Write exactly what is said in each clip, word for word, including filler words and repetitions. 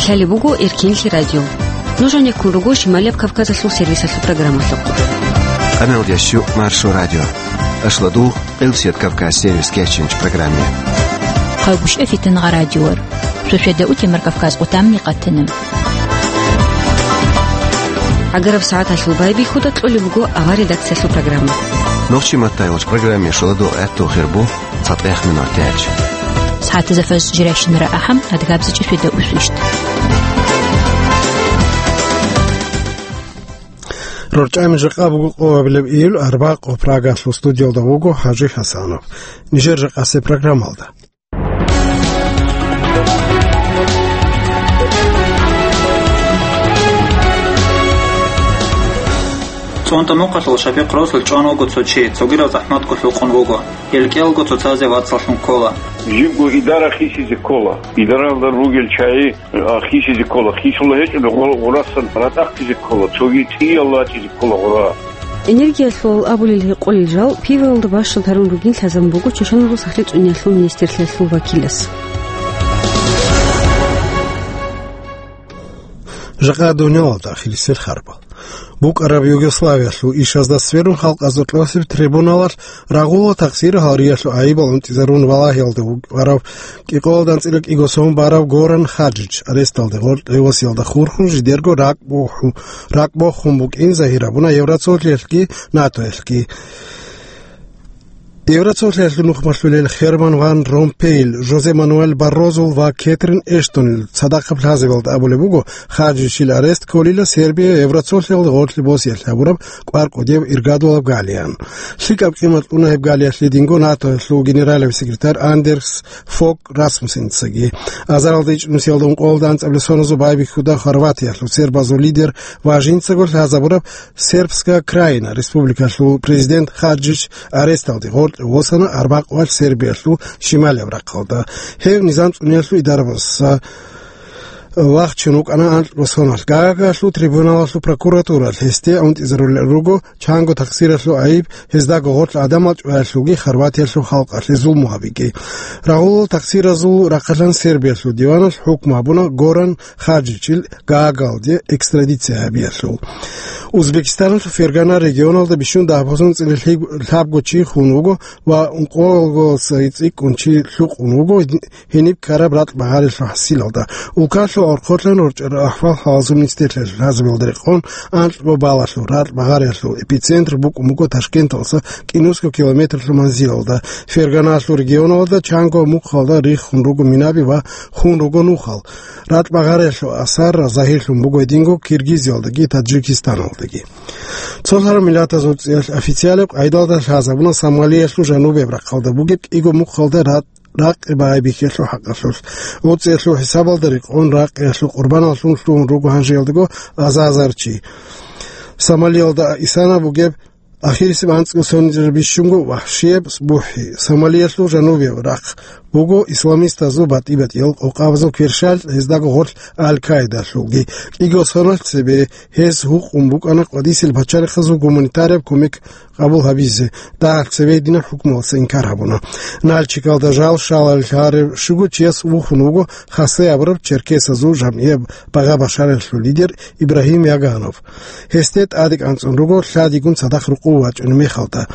Лъалеб буго Эркинлъи радио. Нуж гьанеккун руго Шималияб Кавказалъул сервисалъул программалъухъ. Къаналда щу Маршо радио. Ашладу Къилсият Кавказ сервис кечинч программе. Хъалгушев Фитнагъа радиор. Суседа утемар Кавказ къутамни къатана. Агараб сагӀаталъул байбихьуда кьолеб буго авар редакциялъул программа. Нохчи маттайгъоч программе шоладу гӀатту хирбу. Цатаяхъ минутач. СагӀатазда фаз жирайщинара ахӀам, адгабзичӀи светда усвищт. РорчӀами жакъа буго къоабилеб июль арбакъо. Прагалъул студиялда вуго ХӀажи Хасанов. Нижер жакъасе программалда. ЦӀунтӀа мухъалъул шапикъ росулъ чӀван вуго цо чи, цогидал захӀматго лъукъун вуго. Гьел кӀиялго цоцазе вацаллъун ккола. Жибго идара хисизе ккола. Идаралда ругел чагӀи, а, хисизе ккола. Хисула гьечӀеб гъо-, гъурасан ратӀахъизе ккола. Цоги цӀиялда вачӀизе ккола гъура. Энергиялъул абулел гьекъолел жал пивалда бащад гьарун ругин лъазабун буго Чошаназул сахлъи цӀуниялъул министрлъиялъул вакилас. Жакъа дуниялалда ахирисел харбал. БукӀараб Югославиялъул ишазда сверун халкъазда кьосеб трибуналалъ рагъула тахсир гьалриялъул гӀайибал унтӀизарун валагьиялда вукӀарав кӀикъоялда анцӀила кӀиго сон барав Горан Хаджич аресталде гъоркье восиялда хурхун жидерго ракӀ боху-, ракӀ бохун букӀин загьир гьабуна Евроцолъиялъги НАТОялъги. Евроцолъиялъул нухмалъулел Херман ван Ромпейил, Жозе Мануэль Баррозул ва Кетрин Эштонил цадахъаб лъазабиялда абулеб буго, Хаджичил арест кколила Сербия Евроцолъиялда гъорлъе босиялъ гьабураб кӀвар кӀудияб иргадулаб галиян. ЛъикӀаб къимат кьуна гьеб галиялъе динго НАТОялъул генералияб секретарь Андерс Фог Расмуссеницаги. Азаралда ичӀнусиялда ункъоялда анцӀабилеб соназул байбихьуда Хорватиялъул сербазул лидер ва жинцаго лъазабураб Сербская Краина республикалъул президент Хаджич аресталде гъоркье восана, арбакъвалъ Сербиялъул шималияб рахъалда. Гьев низам цӀуниялъул идарабаса вахчун вукӀана анкьго соналъ. Гаагаялъул трибуналалъул прокуратуралъ гьесде унтӀизарулел руго чанго такъсиралъул гӀайиб, гьездаго гъорлъ гӀадамал чӀваялъулги Хорватиялъул халкъалъе зулму гьабиги. Рагъулал такъсиразул рахъалъан Сербиялъул диваналъ хӀукму гьабуна Горан Хаджичил Гаагалде экстрадиция гьабиялъул. Узбекистаналъул Фергана регионалда бищун дагьабазул анцӀила лъабго чи хун вуго ва ункъоялдаса цӀикӀкӀун чи лъукъун вуго гьениб ккараб ракь багъариялъул хӀасилалда. Улкалъул орхолъан рорчӀарал ахӀвал-хӀалазул министрлъиялъул лъазабиялда рекъон, анкьго балалъул ракь багъариялъул эпицентр букӀун буго Ташкенталдаса кӀинусго километрлъул манзилалда. Ферганалъул регионалда чанго мухъалда риххун руго минаби ва хун руго нухал. Ракь багъариялъул асар загьирлъун буго гьединго Киргизиялдаги Таджикистаналдаги. Цолъараб Миллатазул ЦӀиялъ официалаб къайдалда лъазабуна Сомалиялъул жанубияб рахъалда бугеб кӀиго мухъалда ракь ракъи байбихьелъул хӀакъалъулъ. ГьоцӀиялъул хӀисабалда рекъон ракъиялъул къурбаналлъун лъугьун руго гьанжеялдаго азазар чи. Сомалиялда исана бугеб ахирисеб анцӀго сонизабищунго вахӀшияб бухӀи. Сомалиялъул жанубияб рахъ буго исламистазул батӀи-батӀиял къокъабазул кверщалъ, гьездаго гъорлъ Аль-Каидалъулги. КӀиго соналъ цебе гьез гьукъун букӀана къвадисел пачалихъазул гуманитарияб кумек къабул гьабизе, дагьалъ цеве гьединаб хӀукмуялдаса инкар гьабуна. Нальчикалда жал щваларелъ гьарев щуго чияс вухун вуго Хассе абураб черкесазул жамгӀияб багъа-башараялъул лидер Ибрагьим Яганов. Гьесде тӀадекӀанцӀун руго лъадигун цадахъ рукъу вачӀунеб мехалда.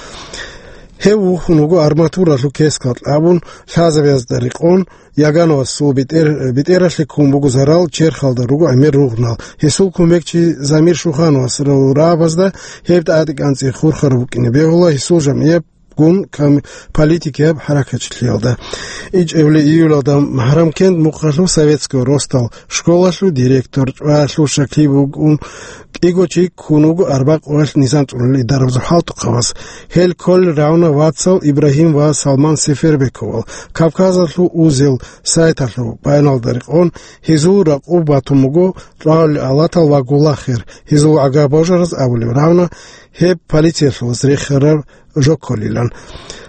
Гьев вухун вуго арматуралъул кескал кьабун, лъазабазда рекъон, Ягановасул бетӀер-, бетӀералъе ккун буго зарал, черхалда руго гӀемер ругънал. Гьесул кумекчи Замир Шухановасул рагӀабазда гьеб тӀадекӀанцӀи хурхараб букӀине бегьула гьесул жамгӀияб гун кам-, политикияб хӀаракатчилъиялда. ИчӀабилеб июлалда МагьрамКент мухъалъул Советского ростал школалъул директор чӀваялъул щаклъи бугун кӀиго чи ккун вуго арбакъуялъ низам цӀунулел дарабазул хӀалтӀухъабаз. Гьел кколел рагӀуна вацал Ибрагьим ва Салман Сефербековал. Кавказалъул узел сайталъул баяналда рекъон, гьезул ракъуб батун буго чӀвалел алатал ва гулахер, гьезул гӀага божараз абулеб рагӀуна гьеб полициялъулаз рехараб жо кколилан.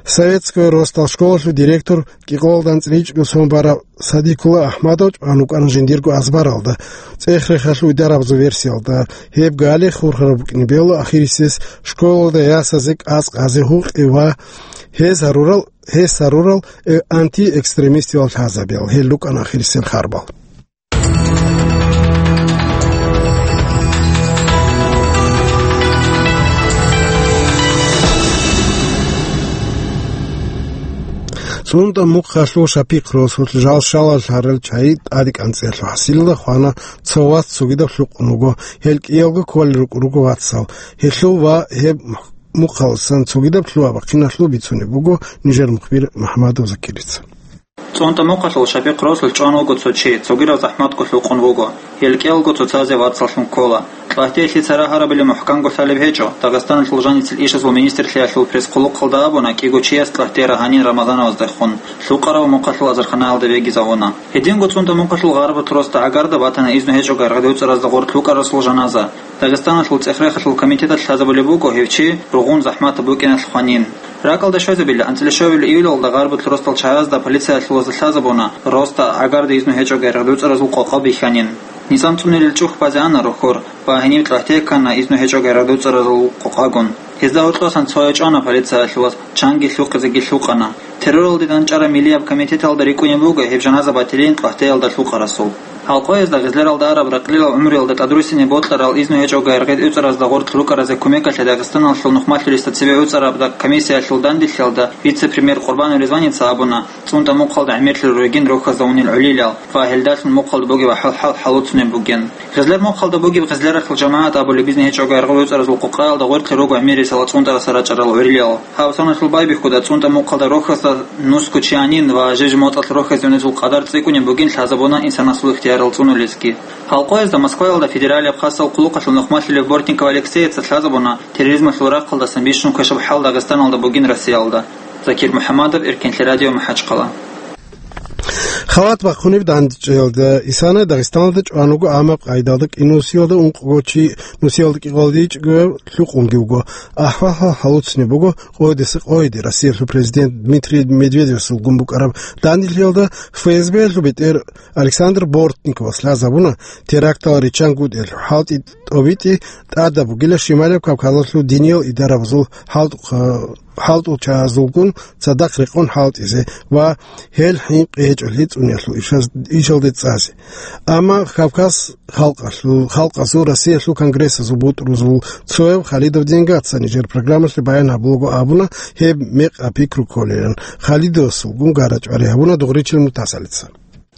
Советского ростал школалъул директор кӀикъоялда анцӀила ичӀго сон барав Садикула АхӀмадов чӀван вукӀана жиндирго азбаралда. ЦӀех-рехалъул идарабазул версиялда, гьеб гали хурхараб букӀине бегьула ахирисез школалда ясазе кӀас-кӀазе гьукъи ва гьез гьарурал, гьес гьарурал, э, антиэкстремистиял лъазабиял. Гьел рукӀана ахирисел харбал. ЦӀунтӀа мухъалъул Шапихъ росулъ жал щалал гьарал чагӀи тӀаде кӀанцӀиялъул хӀасилалда хвана цо вац цогидаб лъукъун вуго, гьел кӀиялго кколел рукӀун руго вацал. Гьелъул ва гьеб мухъаласан цогидаб лъугьа-бахъиналъул бицунеб буго нижер мухбир МухӀамадов Закирица. ЦӀунтӀа мухъалъул Шапихъ росулъ чӀван вуго цо чи, цогидаб захӀматго лъукъун вуго. Гьел кӀиялго цоцазе вацаллъун ккола. КьатӀиялъе цара гьарабилеб мухӀканго лъалеб гьечӀо. Дагъистаналъул жаницел ишазул министрлъиялъул пресс-хъулухъалда абуна кӀиго чияс кьатӀира гьанир Рамазановаздехун, лъукъараб мухъалъул азарханаялда бегизавуна. Гьединго ЦӀунтӀа мухъалъул Гъарбат росда гӀагарда батана изну гьечӀого гьаргъад гӀуцӀаразда гъоркь лъукъарасул жаназа. Дагъистаналъул цӀех-рехалъул комитеталъ лъазабулеб буго гьев чи ругъун захӀматаб букӀиналъ хванин. РакӀалда щвезабила анцӀила щуабилеб июлалда Гъарбат росдал чагӀазда полициялъулазда лъазабуна, росда гӀагарда изну гьечӀого гьаргъад гӀуцӀаразул къокъа бихьанин. Низам цӀунилел чӀухь базе ана рохьор ва гьениб кьатӀи ккана изну гьечӀого гьаргъад гӀуцӀаразул къокъагун. Гьезда гьоркьосан цо гьечӀона полициялъулас, чанги лъухъизеги лъукъана. Терроралде данчӀараб миллияб комитеталда рикӀкӀунеб буго гьеб жаназа батилин кьатӀиялда лъукъарасул. Гьалкъоязда гъезлералда араб ракьлилал гӀумруялда тӀадруссинеб бокьарал изну гьечӀого гьаргъад гӀуцӀаразда гъоркь лъукъаразе кумекалъе Дагъистаналъул нухмалъулесда цебе гӀуцӀараб комиссиялъул данделъиялда вице-премьер Къурбанов Ризваница абуна, ЦӀунтӀа мухъалда гӀемерлъи ругин рохьазда унел гӀолилал ва гьелдалъун мухъалда бугеб ахӀвал-хӀал гьалуцунеб бугин. Гъезлер мухъалда бугеб гъезлералъул жамагӀат абулеб изну гьечӀого гӀергъи гӀуцӀаразул къокъаялда гъоркье руго гӀемерисела цӀунтӀарасда рачӀарал гӀолилал. Гьаб саналъул байбихьуда ЦӀунтӀа мухъалда рохьазда нусго чи гьанин ва жеж-моцӀалъ рохьазе унезул къадар цӀикӀкӀунеб бугин лъазабуна инсанасул ихтиярал цӀунулесги. Гьалкъоязда Москваялда федералияб хасал хъулухъалъул нухмалъулев Бортников Алексеяца лъазабуна терроризмалъул рахъалдасан бищун квешаб хӀал Дагъистаналда бугин Россиялда. Закир МухӀамадов, Эркенлъи радио, МахӀачхъала. Халат бахъунеб дандчӀваялда исана Дагъистаналда чӀван вуго, амма къайдалда кӀинусиялда ункъго чи нусиялда кӀикъоялдейчӀого лъукъунги вуго. АхӀвал-хӀал гьалуцунеб буго къойдаса къойде Россиялъул президент Дмитрий Медведевасулгун букӀараб данделъиялда. ФСБ-ялъул бетӀер Александр Бортниковас лъазабуна, терактал риччан гутӀиялъул хӀалтӀи тӀобитӀи тӀадаб бугила Шималаб Кавказалъул диниял идарабазул хӀалтӀухъ-, хӀалтӀулчагӀазулгун цадахъ рекъон хӀалтӀизе ва гьел хӀинкъи гьечӀолъи цӀуниялъул ишаз-, ишалде цӀазе. Амма Кавказ халкъалъул, халкъазул Россиялъул конгрессазул бутӀрузул цояв Халидов Денгаца нижер программалъе баян гьабулаго абуна, гьеб мекъаб пикру кколилан, Халидовасулгун гара-чӀвари гьабуна Дугъричил Мутасалица.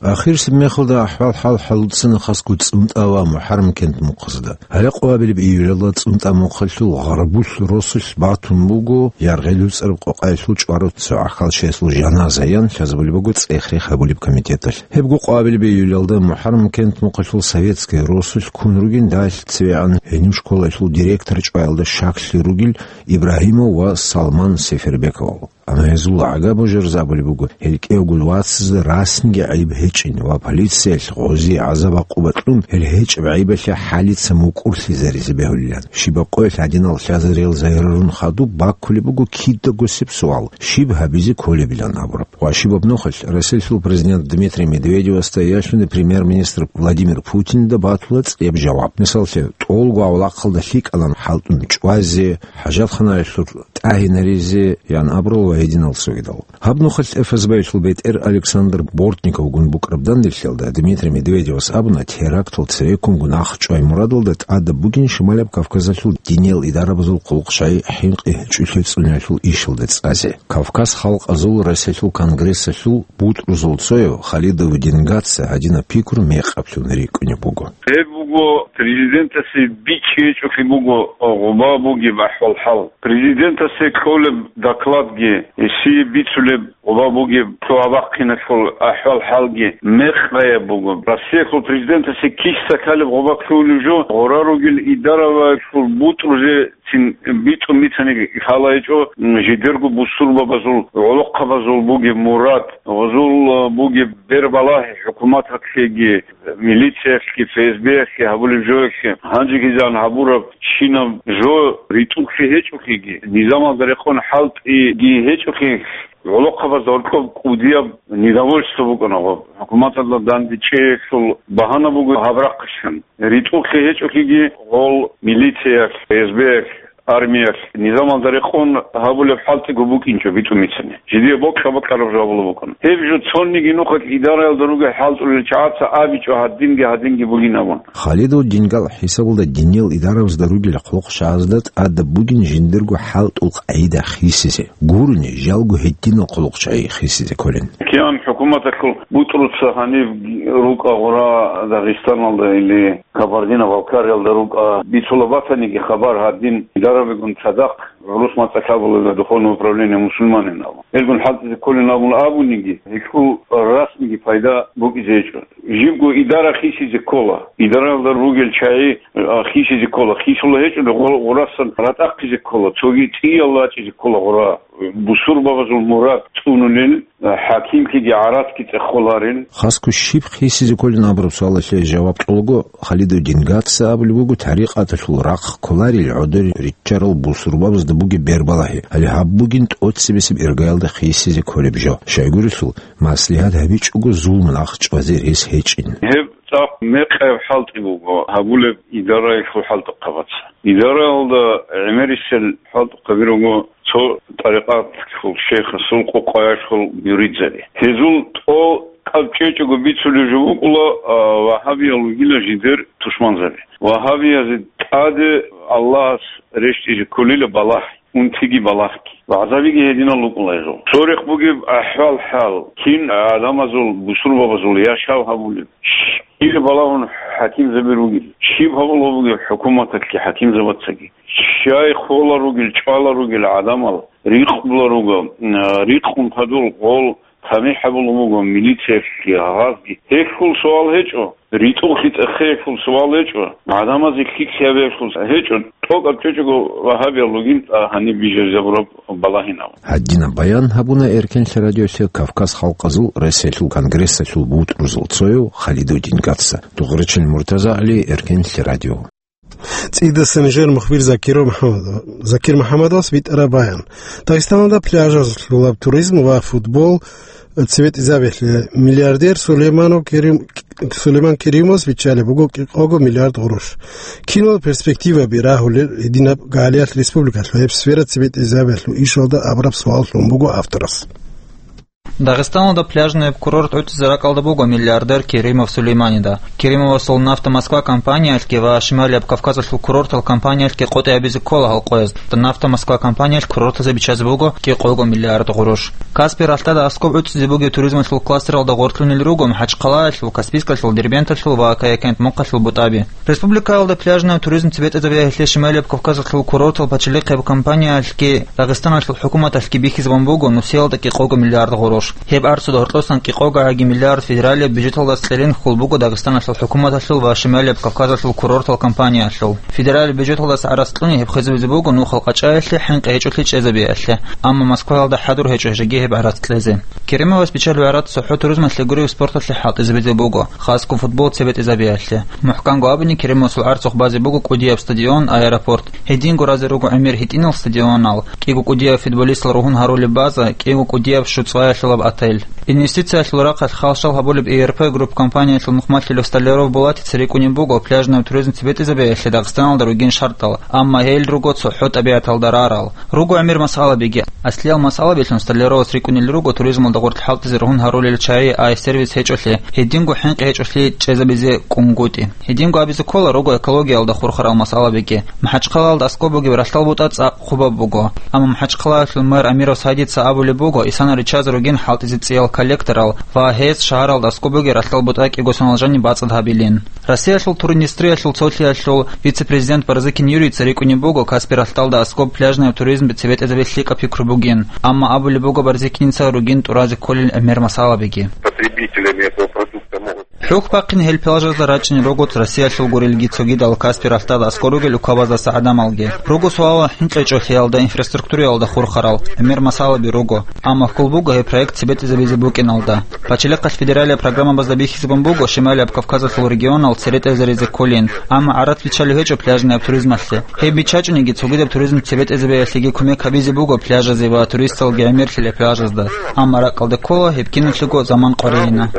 Ахирсеб мехалда ахӀвал-хӀал гьалуцана хасго ЦӀунтӀа ва МухӀаррам кент мухъазда. Гьале къвабилеб июлалда ЦӀунтӀа мухъалъул Гъарбулъ росулъ батун буго яргъел гӀуцӀараб къокъаялъул чӀварав цо гӀахьалчиясул жаназа, ян лъазабулеб буго цӀех-рех гьабулеб комитеталъ. Гьебго къвабилеб июлалда МухӀаррам кент мухъалъул Советская росулъ ккун ругин дагьалъ цевегӀан гьениб школаялъул директор чӀваялда щаклъи ругел Ибрагьимов ва Салман Сефербековал. Амма гьезул гӀага божарзе абулеб буго, гьел кӀиявго вацазда расниги гӀайиб гьечӀин ва полициялъ гъозие гӀазаб-гӀакъуба кьун, гьел гьечӀеб гӀайибалъе хӀалица мукӀурлъизаризе бегьулилан. Щибаб къоялъ гьадинал лъазариял загьирарун хадуб баккулеб буго кидаго гьесиб суал, щиб гьабизе кколебилан абураб. Ва щибаб нухалъ Россиялъул президент Дмитрий Медведевасда яшуни премьер-министр Владимир Путинда батула цӀияб жаваб. Мисаллъе, тӀолго авлахъалда лъикӀалан хӀалтӀун чӀвазе, хӀажатханаялъур тӀагьинаризе, ян абурал ва гьединал цогидал. Гьаб нухалъ ФСБ-ялъул бетӀер Александр Бортниковгун букӀараб данделъиялда Дмитрий Медведевас абуна, терактал цереккунгун ахчӀвай мурадалда тӀадаб бугин Шималаб Кавказалъул диниял идарабазул хъулухъ-щай хӀинкъи гьечӀолъи цӀуниялъул ишалда цӀазе. Кавказ халкъазул Россиялъул конгрессалъул бутӀрузул цояв Халидов Денгаца гьадинаб пикру мекъаблъун рикӀкӀунеб буго. Гьеб буго президентасе бичӀчӀи гьечӀолъи буго гъоба бугеб ахӀвал-хӀал. Президентасе кьолеб докладги, гьесие бицулеб гъоба бугеб лъугьа-бахъиналъул ахӀвал-хӀалги мекъаяб буго. Россиялъул президентасе киса ккалеб гъоба лъугьунеб жо гъора ругел идараялъул бутӀрузе цин битӀун бицани лъала гьечӀо, м, жидерго бусурбабазул, гӀолохъабазул бугеб мурад, гъозул, а, бугеб бербалагьи хӀукуматалъеги, милициялъги, ФСБ-ялъги гьабулеб жоялъе, гьанжегизан гьабураб чинаб жо ритӀухълъи гьечӀолъиги, низамалда рекъон хӀалтӀиги гьечӀолъи, гӀолохъабазда гьоркьоб кӀудияб недовольство букӀана гъоб. ХӀукуматалда дандечӀеялъул багьана буго гьаб рахъалъан. РитӀухълъи гьечӀолъиги гъол милициялъ, ФСБ-ялъ, Армиялъ низамалда рекъон гьабулеб хӀалтӀиго букӀинчӀо битӀун бицани. Жидее бокьа-бокьараб жаваб букӀана. Гьеб жо цониги нухалъ идараялда ругел хӀалтӀулел чагӀаца абичӀо гьадинги-гьадинги бугин абун. Халидул дингал хӀисабалда диниял идарабазда ругел хъулухъчагӀазда тӀадаб бугин жиндирго хӀалтӀул къагӀида хисизе. Гурони, жалго гьединал хъулухъчагӀи хисизе кколин. КигӀан хӀукуматалъул бутӀруца гьаниб рукӀа гъура Дагъистаналда или Кабардино-Балкариялда рукӀа бицула батаниги хабар гьадин идарабигун цадахъ гӀурус мацӀалъ абула духовное управление мусульманин абун. Гьелгун хӀалтӀизе кколин абун абуниги, гьелъул расмиги пайда букӀизе гьечӀо. Жибго идара хисизе ккола. Идаралда ругел чагӀи, а, хисизе ккола. Хисула гьечӀони гъо-, гъурасан ратӀахъизе ккола. Цоги цӀиялла ачӀизе ккола гъура. Бусурбабазул мурад цӀунулел, а, хӀакимлъиги гӀараскги цӀехоларел. Хасго щиб хисизе кколин абураб суалалъе жаваб кьолаго, Халидудин Гатса абулеб буго, тарикъаталъул рахъ кколарел гӀодор риччарал бусурбабазда бугеб бербалагьи, гьале гьаб бугин тӀоцебесеб иргаялда хисизе кколеб жо. Щайгурелъул, маслигьат гьабичӀого зулму нахъ чӀвазе рес гьечӀин. Гьеб цӀакъ мекъаяб хӀалтӀи буго гьабулеб идараялъул хӀалтӀухъабаца. Идараялда гӀемерисел хӀалтӀухъаби руго цо тӀарикъаталъул шейхасул къокъаялъул муридзаби. Гьезул тӀо кӀапчӀечӀого бицулеб жо букӀула, а, вагьабиял вугила жидер тушманзаби. Вагьабиязе тӀаде Аллагьас рещтӀизе кколила балагь, унтиги балагьги. ВагӀзабиги гьединал рукӀула гьезул. Цо рехъ бугеб ахӀвал-хӀал, кин гӀадамазул, бусурбабазул яшав гьабулеб. Щиб балагьун хӀакимзаби ругел, щиб гьабула бугеб хӀукуматалъги хӀакимзабацаги. Щай хола ругел, чӀвала ругел гӀадамал, рикъула руго, м, рикъун хадур гъол тамихӀ гьабулеб буго милициялъги, гьагъазги. Гьелъул суал гьечӀо, ритӀухълъи цӀехеялъул суал гьечӀо, гӀадамазе лъикӀлъи гьабиялъул гьечӀо, тӀокӀаб чӀечӀого вагьабиял ругин, а, гьаниб бижаризабураб балагьинав. Гьадинаб баян гьабуна Эркенлъи радиолъе Кавказ халкъазул Россиялъул конгрессалъул бутӀрузул цояв Халидудин Гатса. Дугъричил МуртазагӀали, Эркенлъи радио. ЦӀидасан нижер мухбир Закир МухӀамадов-, Закир МухӀамадовас битӀараб баян. Дагъистаналда пляжазулъулаб туризм ва футбол цебетӀизабиялъе миллиардер Сулейманов Керим-, Сулейман Керимовас биччалеб буго кӀикъого миллиард гъурущ. Кинал перспективаби рагьулел гьединаб гьалиялъ республикалъул гьеб сфера цебетӀизабиялъул ишалда абураб суал лъун буго авторас. Дагъистаналда пляжный курорт гӀуцӀизе ракӀалда буго миллиардер Керимов Сулейманида. Керимовасул «Нафта Москва» компаниялъги ва Шималияб Кавказалъул курортал компаниялъги къотӀи гьабизе ккола гьал къояз. «Нафта Москва» компаниялъ курортазе биччазе буго кӀикъого миллиард гъурущ. Каспий ралъдада аскӀоб гӀуцӀизе бугеб туризмалъул кластералда гъоркьунел руго МахӀачхъалаялъул, Каспийскалъул, Дербенталъул ва Каякент-Мухъалъул бутӀаби. Республикаялда пляжный туризм цебетӀезабиялъе Шималияб Кавказалъул курортал пачалихъияб компаниялъги Дагъистаналъул хӀукуматалъги бихьизабун буго нусиялда кӀикъого миллиард гъурущ. Гьеб арцуда гьоркьосан кӀикъого гӀаги миллиард федералияб бюджеталдас кьелин хул буго Дагъистаналъул хӀукуматалъул ва Шималияб Кавказалъул курортал компаниялъул. Федералияб бюджеталдас гӀарац кьуни гьеб хизабизе буго нухал къачӀаялъе хӀинкъи гьечӀолъи чӀезабиялъе, амма Москваялда хӀадур гьечӀо жеги гьеб гӀарац кьезе. Керимовас биччалеб гӀарац цохӀо туризмалъе гуреб спорталъе хӀалтӀизабизе буго, хасго футбол цебетӀизабиялъе. МухӀканго абуни, Керимовасул гӀарцухъ базе буго кӀудияб стадион, аэропорт. Гьединго разе руго гӀемер гьитӀинал стадионал, кӀиго кӀудияб футболистал ругьун гьарулеб база, кӀиго кӀудияб щуцӀаялъулаб отель. Инвестициялъул рахъалъ халщал гьабулеб «И Р П Групп» компаниялъул нухмалъулев Столяров Булатица рикӀкӀунеб буго пляжный туризм цебетӀизабиялъе Дагъистаналда ругин шартӀал, амма гьел руго цохӀо тӀабигӀаталда рарал. Руго гӀемер масъалабиги. Аслиял масъалабилъун Столяровас рикӀкӀунел руго туризмалда гъорлъ хӀалтӀизе ругьун гьарулел чагӀи, ай-сервис гьечӀолъи, гьединго хӀинкъи гьечӀолъи чӀезабизе кӀунгутӀи. Гьединго абизе ккола руго экологиялда хурхарал масъалабиги. МахӀачхъалаялда аскӀоб бугеб ралъдал бутӀа цӀакъ хъубаб буго. Амма МахӀачхъалаялъул мэр Амиров Садица абулеб буго, исана риччазе ругин хӀалтӀизе цӀиял коллекторал ва гьез шагьаралда аскӀоб бугеб ралъдал бутӀа кӀиго соналъ жани бацӀцӀад гьабилин. Россиялъул туриндустриялъул цолъиялъул вице-президент Барзыкин Юрийца рикӀкӀунеб буго, Каспий ралъдалда аскӀоб пляжный туризм цебетӀезабиялъе лъикӀаб пикру бугин, амма абулеб буго Барзыкиница ругин тӀуразе кколел гӀемер масъалабиги. Потребителями этого продукта могут... ХӀухь бахъин гьел пляжазда рачӀине руго Россиялъул гурелги цогидал Каспий ралъдалда аскӀор ругел укабаздаса гӀадамалги. Руго суалал хӀинкъичӀолъиялда, инфраструктураялда хурхарал гӀемер масъалаби руго. Амма хьул буго гьеб проект цебетӀезабизе букӀиналда. Пачалихъалъ федералияб программабазда бихьизабун буго Шималияб Кавказалъул регионал церетӀезаризе кколин, амма гӀарац биччалев гьечӀо пляжный туризмалъе. Гьеб биччачӀониги, цогидаб туризм цебетӀезабиялъеги кумек гьабизе буго пляжазе ва туристалги гӀемерлъила пляжазда. Амма ракӀалде ккола гьеб киналъего заман къваригӀина.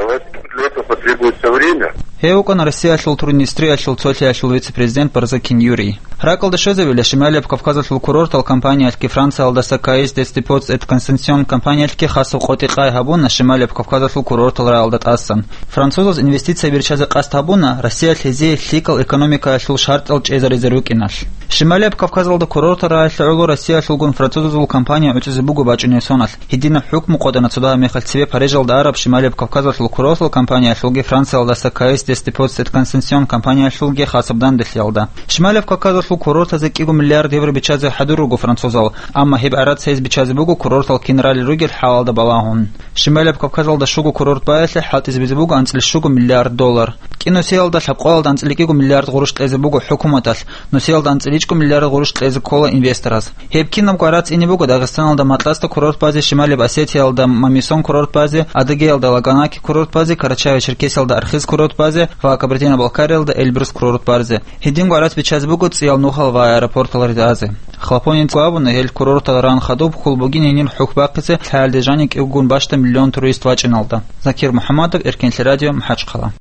Для этого потребуется время. Гьев вукӀана Россиялъул Турин-Истриялъул цолъиялъул вице-президент Барзакин Юрий. РакӀалда щвезабила, Шималияб Кавказалъул курортал компаниялъги Франциялдаса Каис дес Депоц эт Консенсион компаниялъги хасаб къотӀи-къай гьабуна Шималияб Кавказалъул курортал рагӀалда тӀасан. Французаз инвестицияби риччазе къасд гьабуна, Россиялъ гьезие лъикӀал экономикаялъул шартӀал чӀезаризе рукӀиналъ. Шималияб Кавказалда курортал рагӀалъе гӀоло Россиялъулгун французазул компания гӀуцӀизе буго бачӀунеб соналъ. Гьединаб хӀукму къотӀана цо дагьаб мехалъ цебе Парижалда араб Шималияб Кавказалъул курортал компаниялъулги Франциялдаса Каис дес Депоц эт Консенсион компаниялъулги хасаб данделъиялда. Шималияб Кавказалъул курортазе кӀиго миллиард евро биччазе хӀадур руго французал, амма гьеб гӀарац гьез биччазе буго курортал кин ралел ругел хӀалалда балагьун. Шималияб Кавказалда щуго курорт баялъе хӀалтӀизабизе буго анцӀила щуго миллиард доллар. КӀи нусиялда лъабкъоялда анцӀила кӀиго миллиард гъурущ кьезе буго хӀукуматалъ, нусиялда анцӀила ичӀго миллиард гъурущ кьезе ккола инвестораз. Гьеб кинабго гӀарац ине буго Дагъистаналда Матласта курорт базе, Шималияб Осетиялда Мамисон курорт базе, Адыгеялда Лаганаки курорт базе, Карачаево-Черкесиялда Архыз курорт базе ва Кабардино-Балкариялда Эльбрус курорт базе. Гьединго гӀарац биччазе буго цӀиял нухал ва аэропортал ретӀазе. Хлопоненко абуна, гьел курортал ран хадуб хьул бугин гьенир хӀухь бахъизе лъаялде жаниб кӀиго гун бащда миллион турист вачӀиналда. Закир МухӀаммадов, Эркенлъи радио, МахӀачхъала.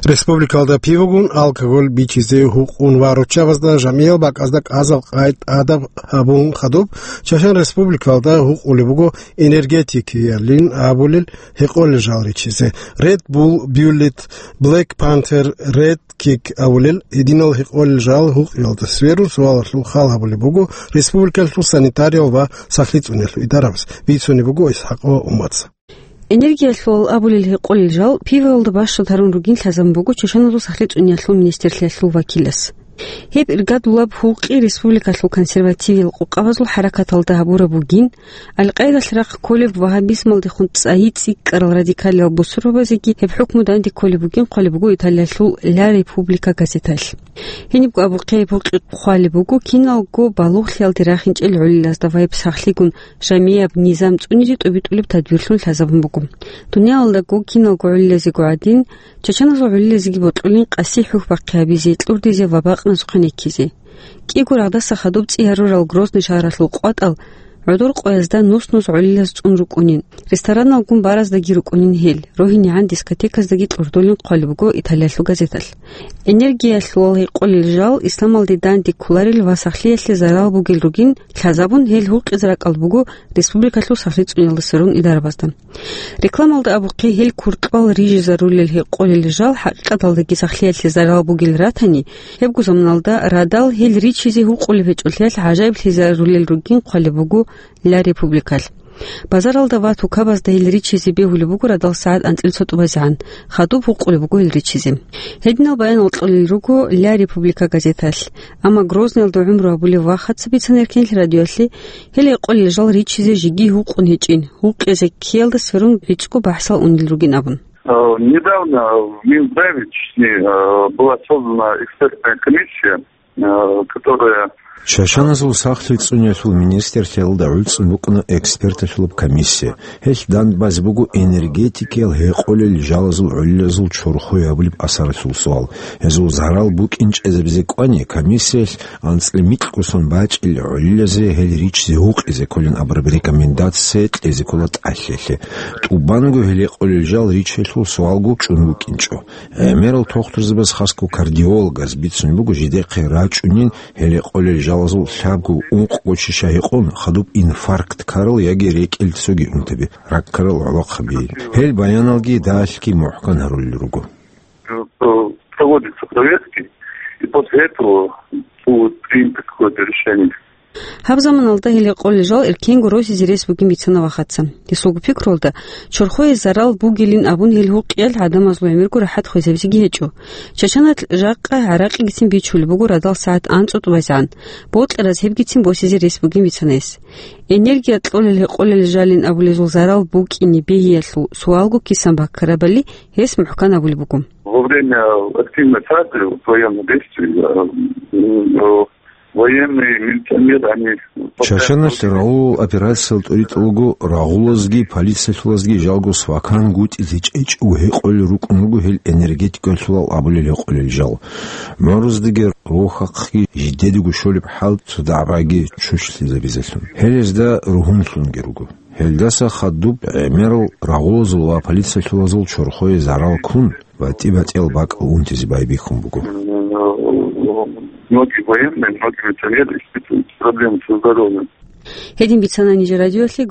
Республикалда пивагун алкоголь бичизе гьукъун ва руччабазда жамиял бакӀазда кӀазал къай тӀадаб гьабун хадуб, Чачан Республикалда гьукъулеб буго энергетикиялин абулел гьекъолел жал ричизе. Red Bull, Bulleit, Black Panther, Red Kick абулел гьединал гьекъолел жал гьукъиялда сверун суалалъул хал гьабулеб буго республикалъул санитариял ва сахлъи цӀуниялъул идарабаз, бицунеб буго ИсхӀакъова Умаца. Энергиялъул абулел гьекъолел жал пиваялда бащад гьарун ругин лъазабун буго Чачаназул сахлъи цӀуниялъул министрлъиялъул вакилас. Гьеб иргадулаб гьукъи республикалъул консервативиял къокъабазул хӀаракаталда гьабураб бугин, Аль-Къаидалъ рахъ кколеб вагьабизмалдехун цӀайи цӀикӀкӀарал радикалиял бусурбабазеги гьеб хӀукму данде кколеб бугин хъвалеб буго Италиялъул Ля Република газеталъ. Гьенибго абухъе гьеб гьукъи хъвалеб буго киналго балугълъиялде рахинчӀел гӀолилазда ва гьеб сахлъигун жамияб низам цӀунизе тӀобитӀулеб тадбирлъун лъазабун буго. Дуниялалдаго киналго гӀолилазего гӀадин, Чачаназул гӀолилазеги бокьулин къаси хӀухь бахъи гьабизе, кьурдизе ва бакъназухъе неккизе. КӀиго рагъдаса хадуб цӀи гьарурал Грозный шагьаралъул къватӀал гӀодор къоязда нус-нус гӀолилаз цӀун рукӀунин, рестораналгун бараздаги рукӀунин гьел, рогьинегӀан дискотеказдаги кьурдулин хъвалеб буго Италиялъул газеталъ. Энергиялъул гьекъолел жал исламалде данде кколарел ва сахлъиялъе зарал бугел ругин лъазабун, гьел гьукъизе ракӀалда буго республикалъул сахлъи цӀуниялда сверун идарабазда. Рекламалда абухъе гьел куркьал рижизарулел гьекъолел жал хӀакъикъаталдаги сахлъиялъе зарал бугел ратани, гьебго заманалда радал гьел ричизе гьукъулеб гьечӀолъиялъ гӀажаиблъизарулел ругин хъвалеб буго Ля Републикалъ. Базаралда ва тукабазда гьел ричизе бегьулеб буго радал сагӀат анцӀил цо тӀубазегӀан, хадуб гьукъулеб буго гьел ричизе. Гьединал баянал кьолел руго Ля Република газеталъ. Амма Грозныйалда гӀумру гьабулев вахаца бицана Эркенлъи радиоялъе, гьел гьекъолел жал ричизе жеги гьукъун гьечӀин, гьукъизе ккеялда сверун гӀицӀго бахӀсал унел ругин абун. Э, недавно в Минздраве, точнее, э, была создана экспертная комиссия, э, которая... Чачаназул сахлъи цӀуниялъул министрлъиялда гӀуцӀун букӀуна эксперталъулаб комиссия. Гьелъ дандбазе буго энергетикиял гьекъолел жалазул гӀолилазул чорхое гьабулеб асаралъул суал. Гьезул зарал букӀин чӀезабизе кӀвани, комиссиялъ анцӀила микьго сон бачӀил гӀолилазе гьел ричизе гьукъизе кколин абураб рекомендация кьезе ккола тӀалъиялъе. ТӀубанго гьел гьекъолел жал ричиялъул суалго чӀун букӀинчӀо. ГӀемерал тухтурзабаз, хасго кардиологаз, бицун буго жидехъе рачӀунин гьел гьекъолел жалазул лъабго-ункъго чиша гьекъон, хадуб инфаркт ккарал яги рекӀел цоги унтаби, рак ккарал гӀолохъаби. Гьел баяналги далъги мухӀкан гьарулел руго. Э, проводятся проверки, и после этого будет принято какое-то решение. Гьаб заманалда гьел гьекъолел жал эркенго росизе рес бугин бицана вахаца. Гьесулго пикруялда, чорхое зарал бугилин абун гьел гьукъиялъ гӀадамазул гӀемерго рахӀат хвезабизеги гьечӀо. Чачаналъ жакъа гӀаракъигицин бичулеб буго радал сагӀат анцӀу тӀубазегӀан, бокьараз гьебгицин босизе рес бугин бицана гьес. Энергия кьолел гьекъолел жалин абулезул зарал букӀине бегьиялъул суалго кисан баккарабали гьес мухӀкан абулеб буго. Во время активной фазы военных действий, э, м, э, военные, милиционеры, они... Чачаналъ рагъулал операциял тӀуритӀулаго рагъулазги полициялъулазги жалго свакан гутӀизе чӀечӀого гьекъолел рукӀун руго гьел энергетикалъулал абулел гьекъолел жал. ГӀумруздаги рохахъги жидедаго щолеб хӀал цо дагӀбаги чучлъизабизелъун. Гьел гьезда ругьунлъунги руго. Гьелдаса хадуб гӀемерал рагъулазул ва полициялъулазул чорхое зарал ккун, ва тӀибатӀиял бакӀал унтизе байбихьун буго. Многие военные, многие милиционеры испытывают проблемы со здоровьем. Гьедин бицана нижер радиоялъе